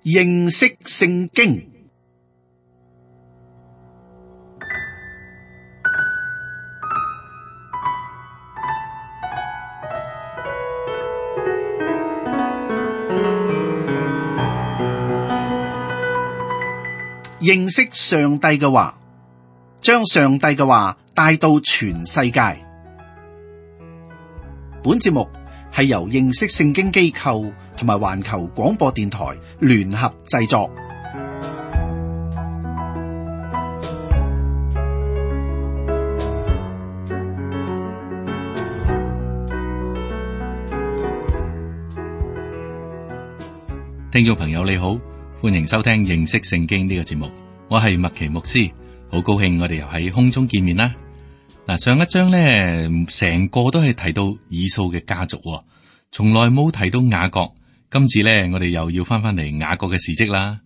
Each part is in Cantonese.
認識聖經。認識上帝嘅話，將上帝嘅話帶到全世界。本節目係由認識聖經機構同埋環球廣播電台聯合製作。聽眾朋友你好，歡迎收聽認識聖經呢個節目，我係麥奇牧師，好高興我哋又喺空中見面啦。嗱，上一章咧，成個都係提到以掃嘅家族，從來冇提到雅各。今次咧，我哋又要翻嚟雅各嘅事蹟啦。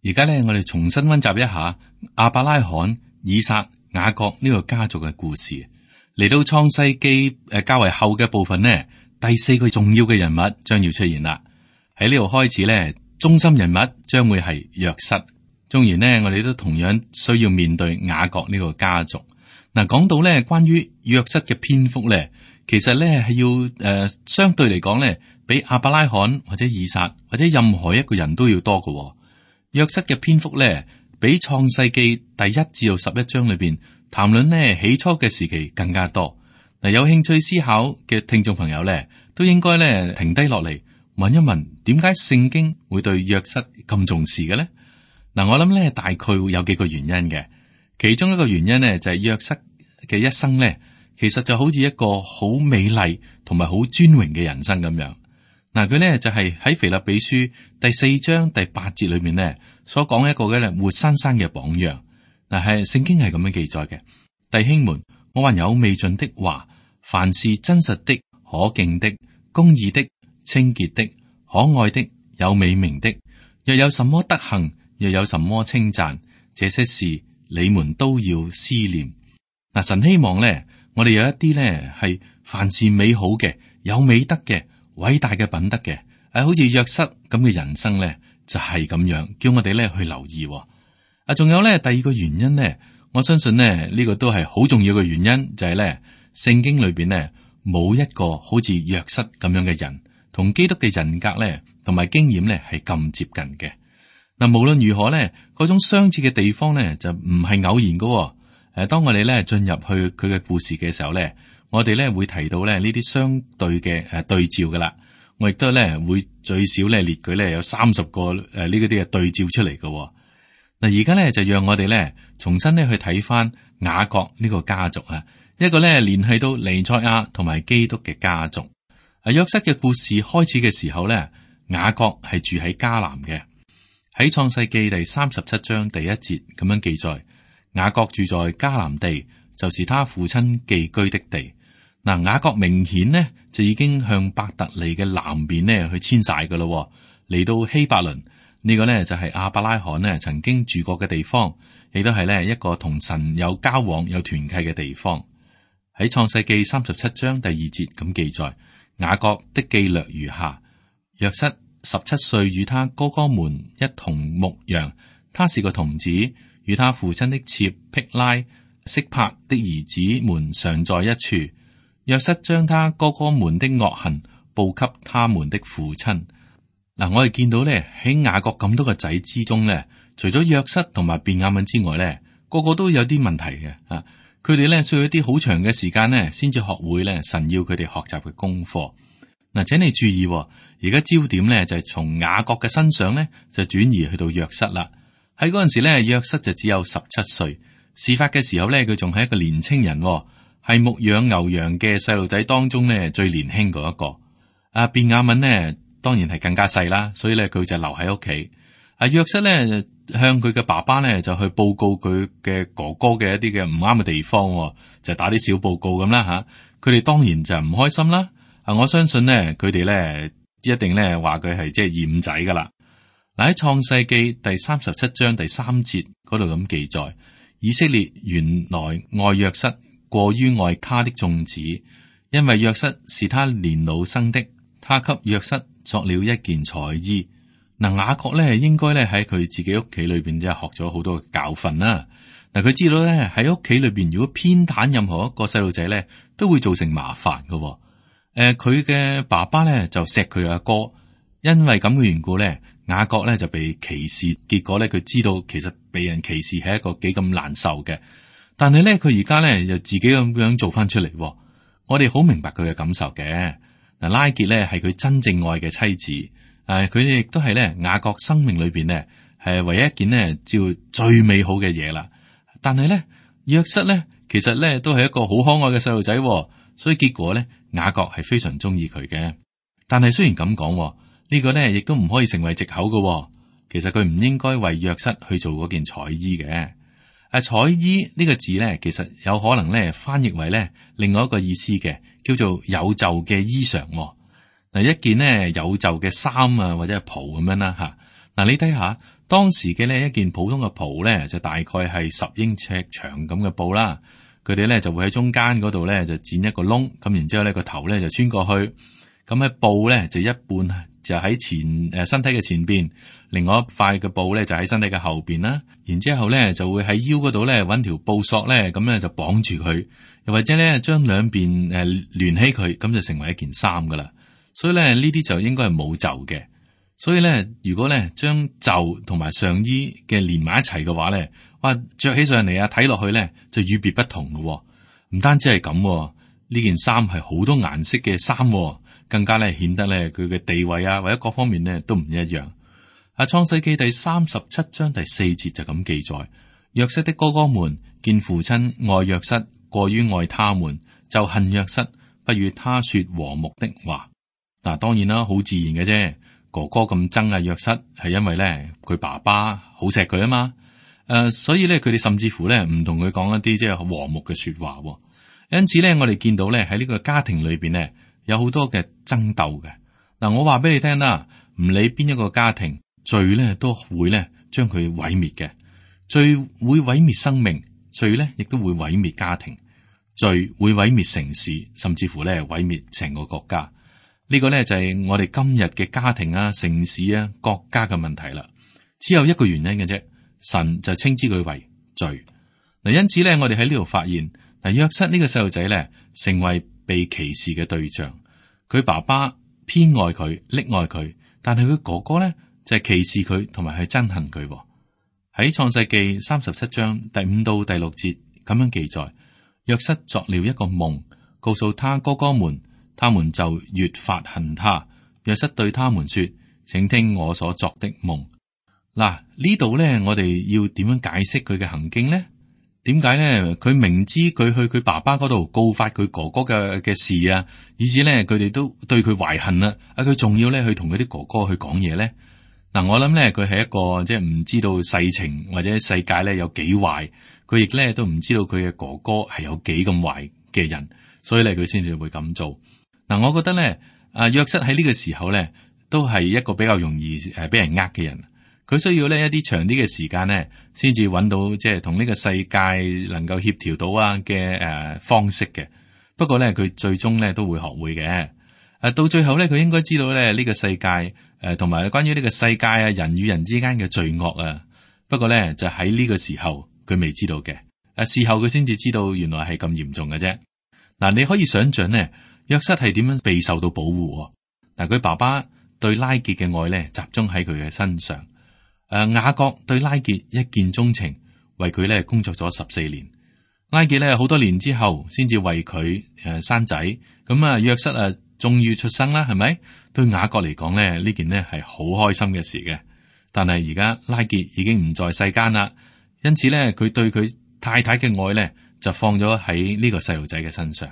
而家咧，我哋重新溫習一下亞伯拉罕、以撒、雅各呢個家族嘅故事。嚟到創世記較為後嘅部分呢，第四個重要嘅人物將要出現啦。喺呢度開始咧，中心人物將會係約瑟。縱然呢，我哋都同樣需要面對雅各呢個家族。嗱，講到咧關於約瑟嘅篇幅咧，其實咧係要相對嚟講咧，比亞伯拉罕或者以撒或者任何一個人都要多嘅。約瑟嘅篇幅咧，比創世記第1至到11章裏邊談論呢起初嘅時期更加多。嗱，有興趣思考嘅聽眾朋友咧，都應該咧停低落嚟問一問，點解聖經會對約瑟咁重視嘅咧？嗱，我諗咧大概會有幾個原因嘅。其中一個原因呢，就係約瑟嘅一生咧，其實就好似一個好美麗同埋好尊榮嘅人生咁樣。嗱，佢咧就係喺腓立比書第4章第8節裏面咧所講一個嘅活生生嘅榜樣。嗱，係聖經係咁樣記載嘅：弟兄們，我還有未盡的話，凡是真實的、可敬的、公義的、清潔的、可愛的、有美名的，若有什麼德行，若有什麼稱讚，這些事你們都要思念。嗱，神希望咧，我哋有一啲咧係凡事美好嘅、有美德嘅、偉大嘅品德嘅，好似約瑟咁嘅人生咧，就係咁樣，叫我哋咧去留意。仲有咧第二個原因咧，我相信咧呢個都係好重要嘅原因，就係咧聖經裏邊咧冇一個好似約瑟咁樣嘅人，同基督嘅人格咧同埋經驗咧係咁接近嘅。嗱，無論如何咧，嗰種相似嘅地方咧就唔係偶然噶。當我哋咧進入去佢嘅故事嘅時候咧，我哋咧會提到咧呢啲相對嘅對照噶啦。我亦都咧會最少咧列舉咧有30個呢啲嘅對照出嚟噶。嗱，而家咧就讓我哋咧重新咧去睇翻雅各呢個家族啊，一個咧聯繫到彌賽亞同埋基督嘅家族。約瑟嘅故事開始嘅時候咧，雅各係住喺迦南嘅。喺創世記第37章第1節咁樣記載，雅各住在迦南地，就是他父親寄居的地。嗱，雅各明顯呢就已經向伯特利嘅南邊呢去遷徙噶咯，嚟到希伯倫呢個呢就係亞伯拉罕呢曾經住過嘅地方，亦都係呢一個同神有交往有團契嘅地方。喺創世記37章第2節咁記載，雅各的記略如下：約瑟17歲與他哥哥們一同牧羊，他是個童子，與他父親的妾辟拉、色柏的兒子們常在一處。約瑟將他哥哥們的惡行報給他們的父親。嗱，我哋見到咧喺雅各咁多個仔之中咧，除咗約瑟同埋便雅憫之外咧，個個都有啲問題嘅啊！佢哋咧需要一啲好長嘅時間咧，先至學會咧神要佢哋學習嘅功課。嗱，請你注意，而家焦點咧就係從雅各嘅身上咧就轉移去到約瑟啦。喺嗰陣時咧，約瑟就只有17歲。事發嘅時候咧，佢仲係一個年青人，係牧養牛羊嘅細路仔當中咧最年輕嗰一個。便雅憫呢當然係更加細啦，所以咧佢就留喺屋企。約瑟咧向佢嘅爸爸咧就去報告佢嘅哥哥嘅一啲嘅唔啱嘅地方，就打啲小報告咁啦吓。佢哋當然就唔開心啦。我相信呢，佢哋咧一定咧話佢係即係嫌仔噶啦。嗱，喺創世記第37章第3節嗰度咁記載，以色列原來愛約瑟過於愛他的眾子，因為約瑟是他年老生的，他給約瑟作了一件彩衣。嗱，雅各咧應該咧喺佢自己屋企裏邊即係學咗好多嘅教訓啦。嗱，佢知道咧喺屋企裏邊如果偏袒任何一個細路仔咧，都會造成麻煩嘅。佢嘅爸爸咧就錫佢阿哥，因為咁嘅緣故咧，雅各咧就被歧視。結果咧佢知道其實被人歧視係一個幾咁難受嘅，但係咧佢而家咧又自己咁樣做翻出嚟。我哋好明白佢嘅感受嘅。嗱，拉結咧係佢真正愛嘅妻子，佢哋亦都係咧雅各生命裏邊咧係唯一一件呢照最美好嘅嘢啦。但係咧約瑟咧其實咧都係一個好可愛嘅細路仔，所以結果咧雅各係非常中意佢嘅。但係雖然咁講，呢個咧亦都唔可以成為藉口嘅。其實佢唔應該為約瑟去做嗰件彩衣嘅。彩衣呢個字咧，其實有可能咧翻譯為咧另外一個意思嘅，叫做有袖嘅衣裳。嗱，一件呢有袖嘅衫啊，或者係袍咁樣啦吓。嗱，你睇下當時嘅呢一件普通嘅袍咧，就大概係10英尺長咁嘅布啦。佢哋咧就會喺中間嗰度咧就剪一個窿，咁然之後咧個頭咧就穿過去。咁喺布咧就一半就喺身體嘅前邊，另外一塊嘅布咧就喺身體嘅後邊啦。然之後咧就會喺腰嗰度咧揾條布索咧，咁咧就綁住佢，又或者咧將兩邊聯起佢，咁就成為一件衫噶啦。所以咧呢啲就應該係冇袖嘅。所以咧如果咧將袖同埋上衣嘅連埋一齊嘅話咧，哇，着起上嚟啊，睇落去咧就與別不同咯。唔單止係咁，呢件衫係好多顏色嘅衫，更加咧顯得咧佢嘅地位啊，或者各方面咧都唔一樣。創世記第37章第4節就咁記載：約瑟的哥哥們見父親愛約瑟過於愛他們，就恨約瑟，不與他說和睦的話。嗱，當然啦，好自然嘅啫。哥哥咁憎啊約瑟，係因為咧佢爸爸好錫佢啊嘛。所以咧佢哋甚至乎咧唔同佢講一啲即係和睦嘅說話。因此咧，我哋見到咧喺呢個家庭裏邊咧有好多嘅爭鬥嘅。嗱，我話俾你聽啦，唔理邊一個家庭，罪咧都會咧將佢毀滅嘅。罪會毀滅生命，罪咧亦都會毀滅家庭，罪會毀滅城市，甚至乎咧毀滅成個國家。呢個咧就係我哋今日嘅家庭啊、城市啊、國家嘅問題啦。只有一個原因嘅啫，神就稱之佢為罪。嗱，因此咧，我哋喺呢度發現，嗱，約瑟呢個細路仔咧，成為被歧視嘅對象。佢爸爸偏愛佢、溺愛佢，但係佢哥哥咧就係歧視佢，同埋係憎恨佢。喺創世記37章第5到第6節咁樣記載：約瑟作了一個夢，告訴他哥哥們，他們就越發恨他。約瑟對他們說：請聽我所作的夢。嗱，呢度咧，我哋要點樣解釋佢嘅行徑呢？點解咧？佢明知佢去佢爸爸嗰度告發佢哥哥嘅事啊，以至咧佢哋都對佢懷恨啦。佢仲要咧去同佢啲哥哥去講嘢咧。嗱，我諗咧佢係一個即係唔知道世情或者世界咧有幾壞，佢亦咧都唔知道佢嘅哥哥係有幾咁壞嘅人，所以咧佢先至會咁做。嗱，我覺得咧，約瑟喺呢個時候咧都係一個比較容易俾人呃嘅人。佢需要呢一啲長啲嘅時間呢，先至揾到即係同呢個世界能夠協調到嘅方式嘅。不過咧，佢最終咧都會學會嘅。到最後咧，佢應該知道咧呢個世界同埋關於呢個世界啊人與人之間嘅罪惡啊。不過咧就喺呢個時候佢未知道嘅。事後佢先至知道原來係咁嚴重嘅啫。嗱，你可以想象呢，約瑟係點樣被受到保護。嗱，佢爸爸對拉結嘅愛咧集中喺佢嘅身上。雅各對拉結一見鍾情，為佢咧工作咗14年。拉結咧好多年之後，先至為佢生仔。咁約瑟終於出生啦，係咪？對雅各嚟講咧，呢件呢係好開心嘅事嘅。但係而家拉結已經唔在世間啦，因此咧佢對佢太太嘅愛咧就放咗喺呢個細路仔嘅身上。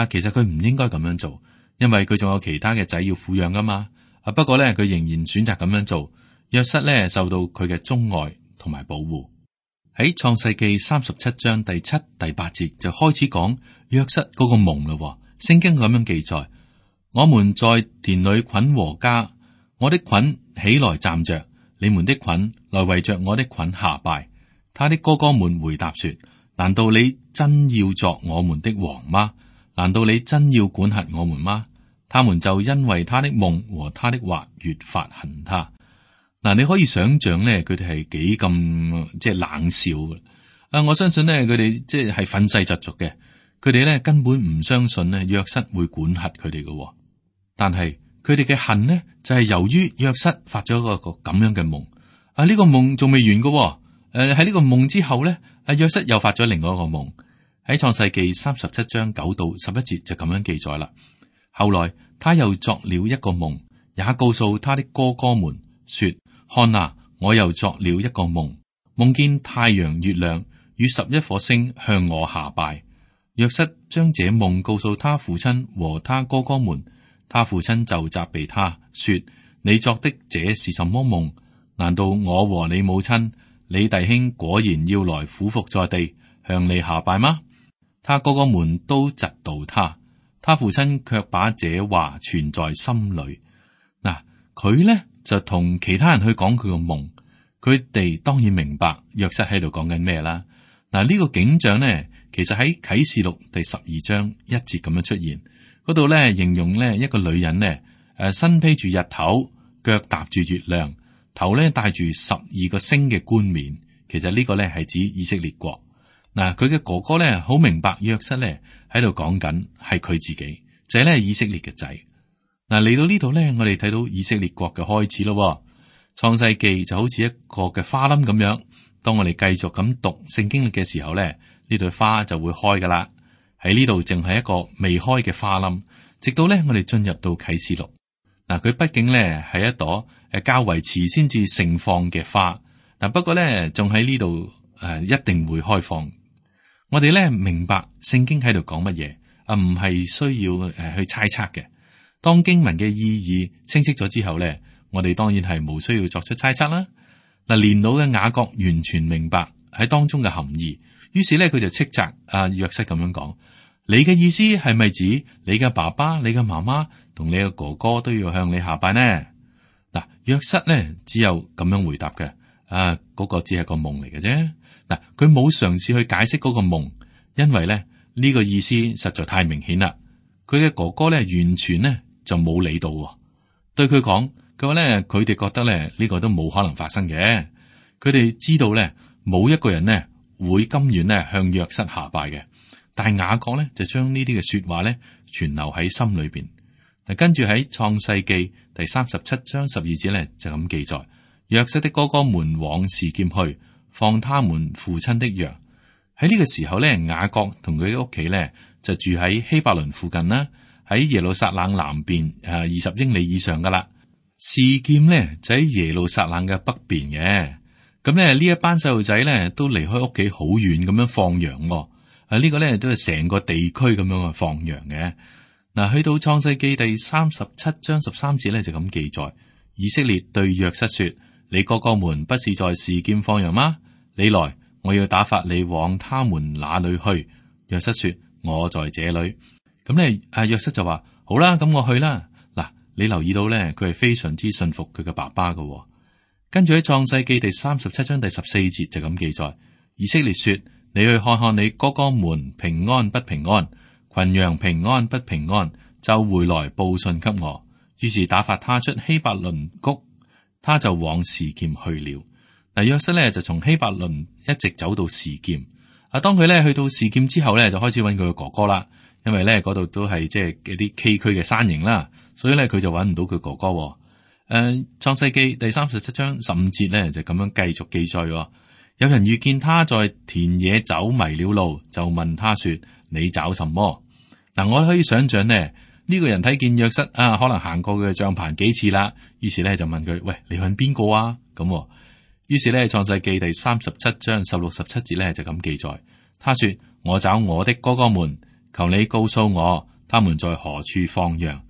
其實佢唔應該咁樣做，因為佢仲有其他嘅仔要撫養噶嘛。不過咧佢仍然選擇咁樣做。約瑟咧受到佢嘅鍾愛同埋保護。喺創世記37章第7、第8節就開始講約瑟嗰個夢咯。聖經咁樣記載：我們在田裏捆禾稼，我的捆起來站着，你們的捆來圍着我的捆下拜。他的哥哥們回答說：難道你真要作我們的王嗎？難道你真要管轄我們嗎？他們就因為他的夢和他的話越發恨他。嗱，你可以想象咧，佢哋係幾咁即係冷笑嘅。我相信咧，佢哋即係憤世嫉俗嘅。佢哋咧根本唔相信咧約瑟會管轄佢哋嘅。但係佢哋嘅恨呢，就係由於約瑟發咗一個咁樣嘅夢。呢個夢仲未完嘅。喺呢個夢之後咧，約瑟又發咗另外一個夢。喺創世記37章9到11節就咁樣記載啦。後來他又作了一個夢，也告訴他的哥哥們說：看啊，我又作了一個夢，夢見太陽、月亮與11顆星向我下拜。約瑟將這夢告訴他父親和他哥哥們，他父親就責備他說：你作的這是什麼夢？難道我和你母親、你弟兄果然要來俯伏在地向你下拜嗎？他哥哥們都嫉妒他，他父親卻把這話存在心裏。嗱，佢呢就同其他人去講佢個夢，佢哋當然明白約瑟喺度講緊咩啦。嗱，呢個景象呢，其實喺啟示錄第12章1節咁樣出現，嗰度呢形容呢一個女人呢，身披住日頭，腳踏住月亮，頭呢戴住12個星嘅冠冕。其實呢個呢係指以色列國。嗱，佢嘅哥哥咧好明白約瑟咧喺度講緊係佢自己，就係咧以色列嘅仔。嗱，嚟到呢度咧，我哋睇到以色列國嘅開始咯。創世記就好似一個嘅花冧咁樣，當我哋繼續咁讀聖經嘅時候咧，呢朵花就會開噶啦。喺呢度淨係一個未開嘅花冧，直到咧我哋進入到啟示錄。嗱，佢畢竟咧係一朵較為遲先至盛放嘅花。嗱，不過咧仲喺呢度一定會開放。我哋咧明白聖經喺度講乜嘢，唔係需要去猜測嘅。當經文嘅意義清晰咗之後咧，我哋當然係冇需要作出猜測啦。嗱，年老嘅雅各完全明白喺當中嘅含義，於是咧佢就斥責約瑟咁樣講：你嘅意思係咪指你嘅爸爸、你嘅媽媽同你嘅哥哥都要向你下拜呢？嗱，約瑟咧只有咁樣回答嘅，嗰個只係個夢嚟嘅啫。嗱，佢冇嘗試去解釋嗰個夢，因為咧呢個意思實在太明顯啦。佢嘅哥哥咧完全咧就冇理到，對佢講，佢話咧佢哋覺得咧呢個都冇可能發生嘅。佢哋知道咧冇一個人咧會甘願咧向約瑟下拜嘅。但係雅各咧就將呢啲嘅說話咧存留喺心裏邊。嗱，跟住喺創世記第37章12節咧就咁記載：約瑟的哥哥們往示劍去，放他們父親的羊。喺呢個時候咧，雅各同佢屋企咧就住喺希伯倫附近啦，喺耶路撒冷南邊20英里以上噶啦。示劍咧就喺耶路撒冷嘅北邊嘅。咁咧呢一班細路仔咧都離開屋企好遠咁樣放羊。呢個咧都係成個地區咁樣去放羊嘅。嗱，去到創世記第37章13節咧就咁記載：以色列對約瑟說：你哥哥們不是在示劍放羊嗎？你來，我要打發你往他們那裏去。約瑟說：我在這裏。咁咧，約瑟就話：好啦，咁我去啦。嗱，你留意到咧，佢係非常之信服佢嘅爸爸嘅。跟住喺創世記第37章第14節就咁記載：以色列說：你去看看你哥哥們平安不平安，群羊平安不平安，就回來報信給我。於是打發他出希伯倫谷，他就往示劍去了。嗱，約瑟咧就從希伯倫一直走到示劍。當佢咧去到示劍之後咧，就開始揾佢嘅哥哥啦。因為咧嗰度都係即係一啲崎嶇嘅山形啦，所以咧佢就揾唔到佢哥哥。創世記第37章15節咧就咁樣繼續記載。有人遇見他在田野走迷了路，就問他說：你找什麼？嗱，我可以想象呢，呢個人睇見約瑟可能行過佢嘅帳棚幾次啦，於是咧就問佢：喂，你揾邊個啊？咁，於是咧創世記第37章16、17節咧就咁記載。他說：我找我的哥哥們，求你告訴我，他們在何處放羊？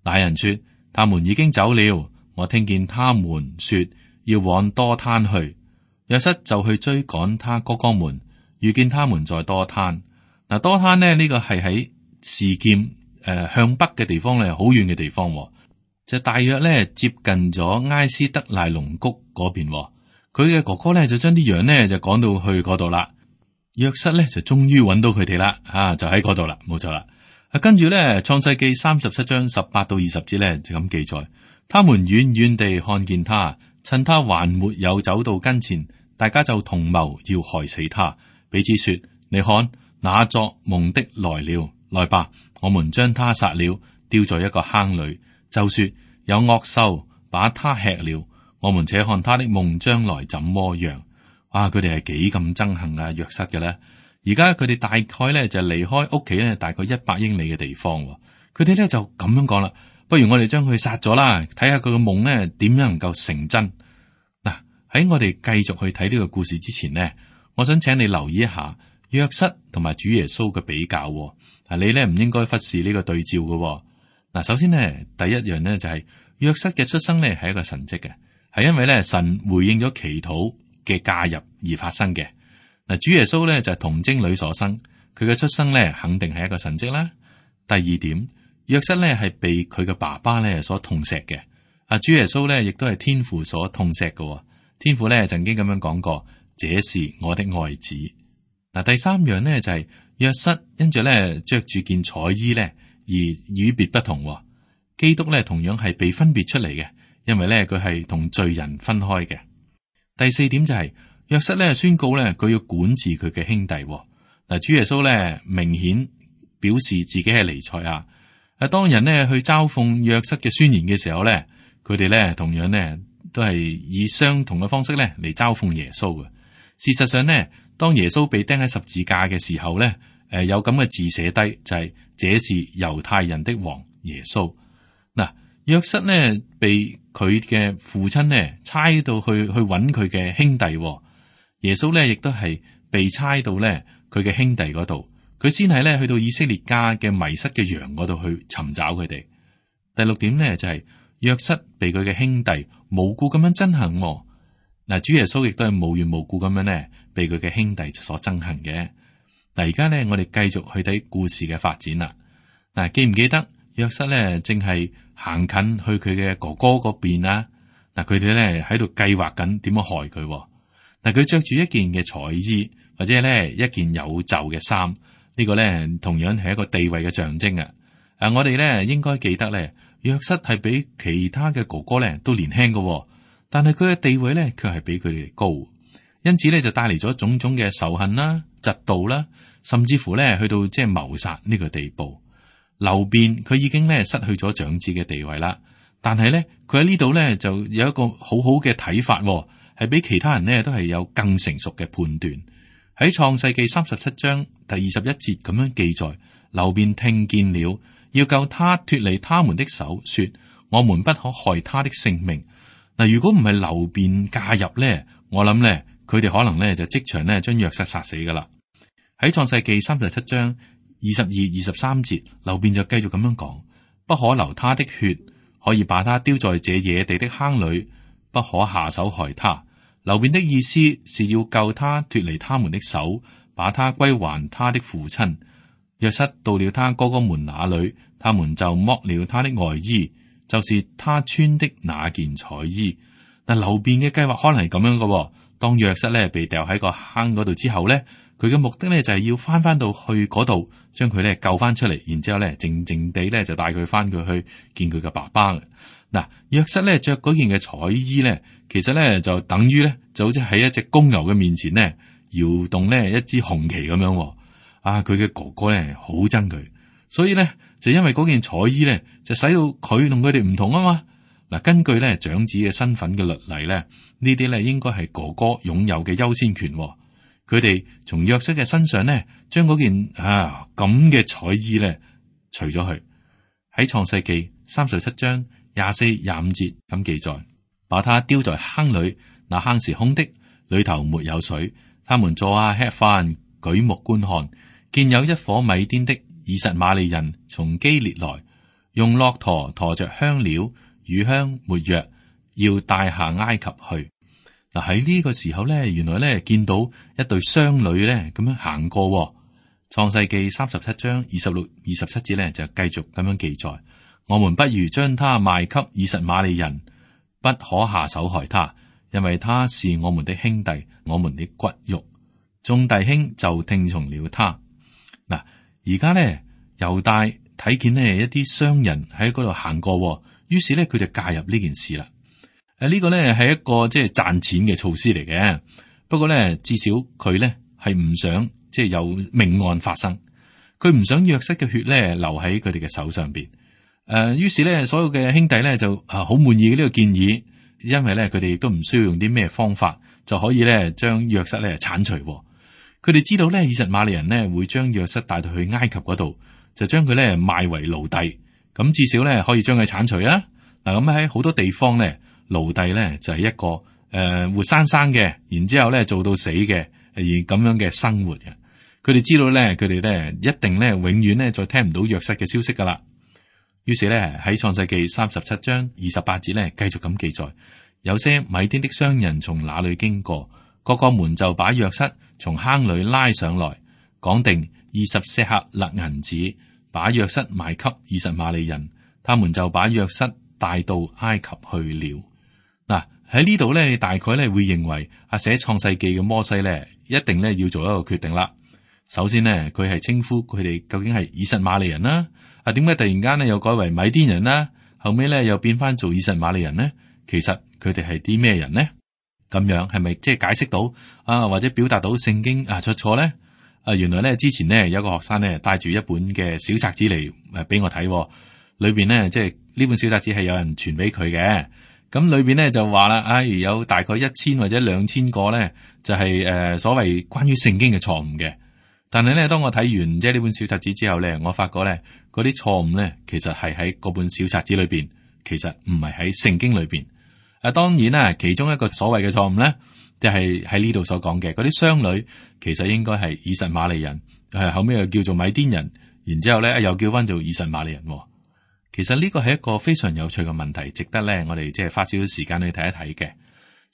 那人說：他們已經走了。我聽見他們說要往多攤去。約瑟就去追趕他哥哥們，遇見他們在多攤。嗱，多攤呢個係喺示劍向北嘅地方咧，好遠嘅地方，就大約咧接近咗埃斯德賴龍谷嗰邊。佢嘅哥哥咧就將啲羊呢就趕到去嗰度啦。約瑟咧就終於揾到佢哋啦，就喺嗰度啦，冇錯啦。跟住咧創世記37章18到20節咧就咁記載：他們遠遠地看見他，趁他還沒有走到跟前，大家就同謀要害死他，彼此說：你看，那作夢的來了，來吧，我們將他殺了，丟在一個坑裏，就說有惡獸把他吃了，我們且看他的夢將來怎麼樣。哇！佢哋係幾咁憎恨啊約瑟嘅咧？而家佢哋大概咧就離開屋企咧大概100英里嘅地方，佢哋咧就咁樣講啦，不如我哋將佢殺咗啦，睇下佢嘅夢咧點樣能夠成真。嗱，喺我哋繼續去睇呢個故事之前呢，我想請你留意一下約瑟同埋主耶穌嘅比較。你咧唔應該忽視呢個對照嘅。嗱，首先呢，第一樣呢就係約瑟嘅出生呢係一個神蹟嘅，係因為咧神回應咗祈禱嘅介入而發生嘅。嗱，主耶穌咧就係童貞女所生，佢嘅出生咧肯定係一個神蹟啦。第二點，約瑟咧係被佢嘅爸爸咧所痛錫嘅。主耶穌咧亦都係天父所痛錫嘅。天父咧曾經咁樣講過：這是我的愛子。嗱，第三樣呢就係約瑟因住咧着住件彩衣咧而與別不同。基督咧同樣係被分別出嚟嘅，因為咧佢係同罪人分開嘅。第四點就係約瑟咧宣告咧佢要管治佢嘅兄弟。嗱，主耶穌咧明顯表示自己係彌賽亞。當人呢去嘲諷約瑟嘅宣言嘅時候咧，佢哋咧同樣呢都係以相同嘅方式咧嚟嘲諷耶穌嘅。事實上呢，當耶穌被釘喺十字架嘅時候咧，有咁嘅字寫低，就係這是猶太人的王耶穌。嗱，約瑟呢被佢嘅父親呢差到去揾佢嘅兄弟。耶穌咧亦都係被差到咧佢嘅兄弟嗰度，佢先係咧去到以色列家嘅迷失嘅羊嗰度去尋找佢哋。第六點呢，就係約瑟被佢嘅兄弟無故咁樣憎恨。嗱，主耶穌亦都係無緣無故咁樣呢被佢嘅兄弟所憎恨嘅。嗱，而家呢，我哋繼續去睇故事嘅發展啦。嗱，記唔記得約瑟咧正係行近去佢嘅哥哥嗰邊啊？嗱，佢哋咧喺度計劃緊點樣害佢。嗱，佢着住一件嘅彩衣，或者咧一件有袖嘅衫，呢個咧同樣係一個地位嘅象徵啊！我哋咧應該記得咧，約瑟係比其他嘅哥哥咧都年輕嘅，但係佢嘅地位咧卻係比佢哋高，因此咧就帶嚟咗種種嘅仇恨啦、嫉妒啦，甚至乎咧去到即係謀殺呢個地步。流便佢已經咧失去咗長子嘅地位啦，但係咧佢喺呢度咧就有一個好好嘅睇法。係比其他人呢都係有更成熟嘅判斷。喺創世記37章第21節咁樣記載，流便聽見了，要救他脫離他們的手，說：我們不可害他的性命。嗱，如果唔係流便介入呢，我諗呢，佢哋可能呢就即場呢將約瑟殺死噶啦。喺創世記37章22、23節，流便就繼續咁樣講：不可流他的血，可以把他丟在這野地的坑裏，不可下手害他。流便的意思是要救他脫離他們的手，把他歸還他的父親。約瑟到了他哥哥們那裏，他們就剝了他的外衣，就是他穿的那件彩衣。嗱，流便嘅計劃可能係咁樣嘅。當約瑟咧被掉喺個坑嗰度之後咧，佢嘅目的咧就係要翻到去嗰度，將佢咧救翻出嚟，然之後咧靜靜地咧就帶佢翻佢去見佢嘅爸爸嘅。嗱，約瑟咧着嗰件嘅彩衣咧，其實咧就等於咧就好似喺一隻公牛嘅面前咧搖動咧一支紅旗咁樣。佢嘅哥哥咧好憎佢，所以咧就因為嗰件彩衣咧就使到佢同佢哋唔同啊嘛。嗱，根據咧長子嘅身份嘅律例咧，呢啲咧應該係哥哥擁有嘅優先權。佢哋從約瑟嘅身上咧將嗰件咁嘅彩衣咧除咗去。喺創世記37章24、25節咁記載，把他丟在坑裏，那坑是空的，裏頭沒有水。他們坐下吃飯，舉目觀看，見有一伙米甸的以實瑪利人從基列來，用駱駝馱着香料、乳香、沒藥，要帶下埃及去。嗱，喺呢個時候咧，原來咧見到一對商旅咧咁樣行過。創世記37章26、27節咧就繼續咁樣記載。我們不如將他賣給以實瑪利人，不可下手害他，因為他是我們的兄弟，我們的骨肉。眾弟兄就聽從了他。嗱，而家咧猶大睇見呢一啲商人喺嗰度行過，於是咧佢就介入呢件事啦。呢個咧係一個即係賺錢嘅措施嚟嘅。不過咧，至少佢咧係唔想即係有命案發生，佢唔想約瑟嘅血咧留喺佢哋嘅手上邊。於是咧，所有嘅兄弟咧就好滿意呢個建議，因為咧佢哋亦都唔需要用啲咩方法就可以咧將約瑟咧鏟除。佢哋知道咧，以實瑪利人咧會將約瑟帶到去埃及嗰度，就將佢咧賣為奴隸。咁至少咧可以將佢鏟除啊。嗱，咁喺好多地方咧，奴隸咧就係一個活生生嘅，然之後咧做到死嘅而咁樣嘅生活嘅。佢哋知道咧，佢哋咧一定咧永遠咧再聽唔到約瑟嘅消息噶啦。於是咧喺創世記37章28節咧繼續咁記載，有些米甸的商人從那裏經過，各個門就把約瑟從坑裏拉上來，講定20舍客勒銀子，把約瑟賣給以實瑪利人，他們就把約瑟帶到埃及去了。嗱，喺呢度咧，你大概咧會認為寫創世記嘅摩西咧，一定咧要做一個決定啦。首先呢，佢係稱呼佢哋究竟係以實瑪利人啦。點解突然間咧又改為米甸人啦？後尾咧又變翻做以實瑪利人呢？其實佢哋係啲咩人呢？咁樣係咪即係解釋到或者表達到聖經出錯咧？原來咧之前咧有個學生咧帶住一本嘅小冊子嚟俾我睇，裏邊咧即係呢本小冊子係有人傳俾佢嘅。咁裏邊咧就話啦，有大概1000或者2000個咧就係所謂關於聖經嘅錯誤嘅。但係咧，當我睇完即係呢本小冊子之後咧，我發覺咧嗰啲錯誤咧其實係喺嗰本小冊子裏邊，其實唔係喺聖經裏邊。當然啦，其中一個所謂嘅錯誤咧，就係喺呢度所講嘅嗰啲商女，其實應該係以實瑪利人，後尾又叫做米甸人，然之後咧又叫翻做以實瑪利人。其實呢個係一個非常有趣嘅問題，值得咧我哋即係花少少時間去睇一睇嘅。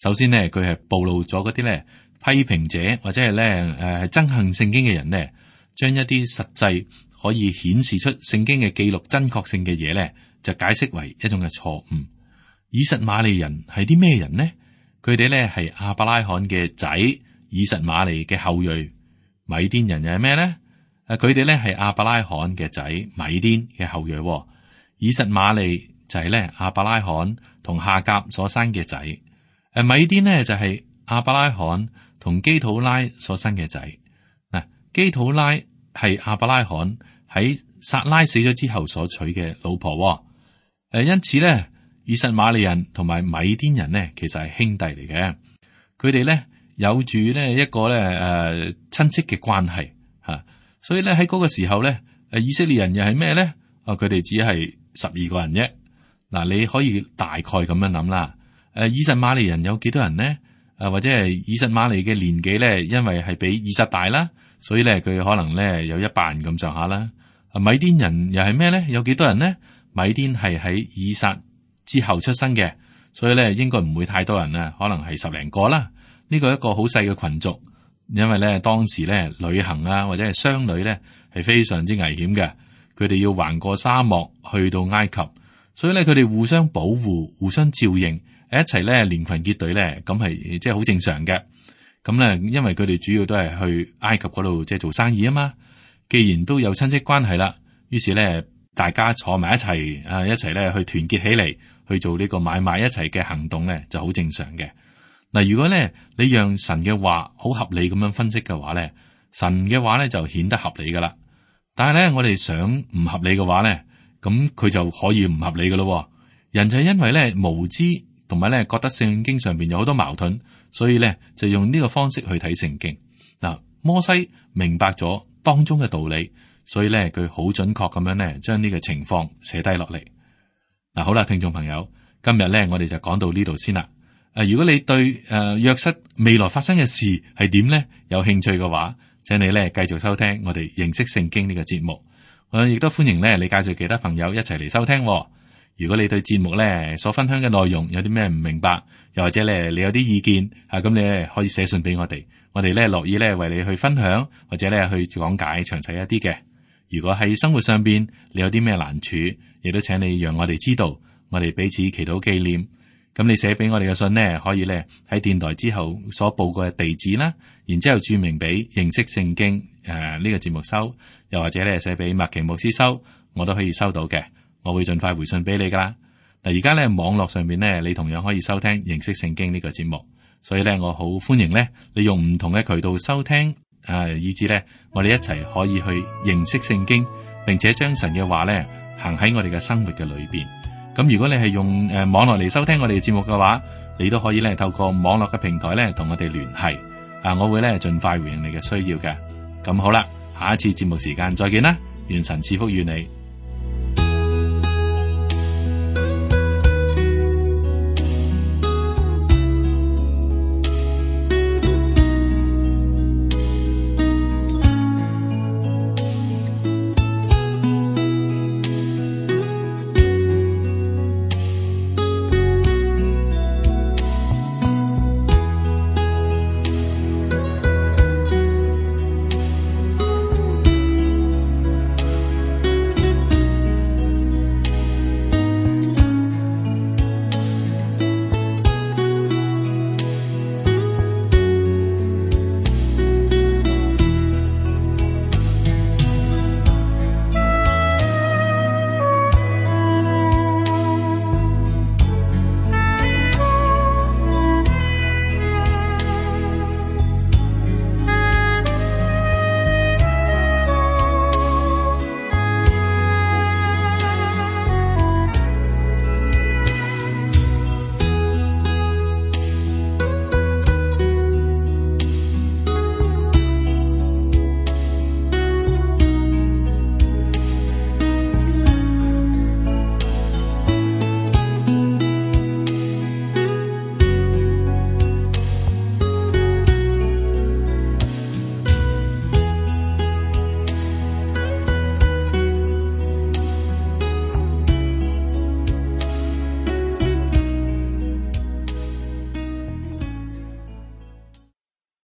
首先呢，佢係暴露咗嗰啲咧批評者或者係咧憎恨聖經嘅人呢，將一啲實際可以顯示出聖經嘅記錄真確性嘅嘢咧，就解釋為一種嘅錯誤。以實瑪利人係啲咩人呢？佢哋咧係亞伯拉罕嘅仔，以實瑪利嘅後裔。米甸人又係咩咧？佢哋咧係亞伯拉罕嘅仔，米甸嘅後裔。以實瑪利就係咧亞伯拉罕同夏甲所生嘅仔。米甸呢就係亞伯拉罕同基土拉所生嘅仔。嗱，基土拉係亞伯拉罕喺撒拉死咗之後所娶嘅老婆。因此咧，以實瑪利人同埋米甸人呢，其實係兄弟嚟嘅。佢哋咧有住呢一個咧親戚嘅關係吓，所以咧喺嗰個時候咧，以色列人又係咩咧？佢哋只係12個人啫。嗱，你可以大概咁樣諗啦。以實瑪利人有幾多人呢？或者係以實瑪利嘅年紀咧，因為係比以撒大啦，所以咧佢可能咧有100人咁上下啦。米甸人又係咩咧？有幾多人呢？米甸係喺以撒之後出生嘅，所以咧應該唔會太多人啊，可能係10零個啦。呢個係一個好細嘅群族，因為咧當時咧旅行或者係商旅咧係非常之危險嘅，佢哋要橫過沙漠去到埃及，所以咧佢哋互相保護、互相照應，一齊咧連群結隊咧，咁係即係好正常嘅。咁咧，因為佢哋主要都係去埃及嗰度即係做生意啊嘛。既然都有親戚關係啦，於是咧大家坐埋一齊一齊咧去團結起嚟去做呢個買賣一齊嘅行動咧，就好正常嘅。嗱，如果咧你讓神嘅話好合理咁樣分析嘅話咧，神嘅話咧就顯得合理噶啦。但係咧我哋想唔合理嘅話咧，咁佢就可以唔合理噶咯。人就係因為咧無知同埋咧覺得聖經上邊有好多矛盾，所以咧就用呢個方式去睇聖經。嗱，摩西明白咗當中嘅道理，所以咧佢好準確咁樣咧將呢個情況寫低落嚟。嗱，好啦，聽眾朋友，今日咧我哋就講到呢度先啦。如果你對約瑟未來發生嘅事係點咧有興趣嘅話，請你咧繼續收聽我哋認識聖經呢個節目。我亦都歡迎咧你介紹其他朋友一齊嚟收聽。如果你對節目咧所分享嘅內容有啲咩唔明白，又或者咧你有啲意見咁你咧可以寫信俾我哋，我哋咧樂意咧為你去分享，或者咧去講解詳細一啲嘅。如果喺生活上邊你有啲咩難處，亦都請你讓我哋知道，我哋彼此祈禱紀念。咁你寫俾我哋嘅信呢，可以咧喺電台之後所報過嘅地址啦，然之後注明俾認識聖經呢個節目收，又或者咧寫俾麥奇牧師收，我都可以收到嘅，我會盡快回信俾你噶啦。嗱，而家咧網絡上面咧，你同樣可以收聽認識聖經呢個節目，所以咧我好歡迎咧你用唔同嘅渠道收聽，以至咧我哋一齊可以去認識聖經，並且將神嘅話咧行喺我哋嘅生活嘅裏邊。咁如果你係用網絡嚟收聽我哋嘅節目嘅話，你都可以咧透過網絡嘅平台咧同我哋聯繫，我會咧盡快回應你嘅需要嘅。咁好啦，下一次節目時間再見啦，願神賜福與你。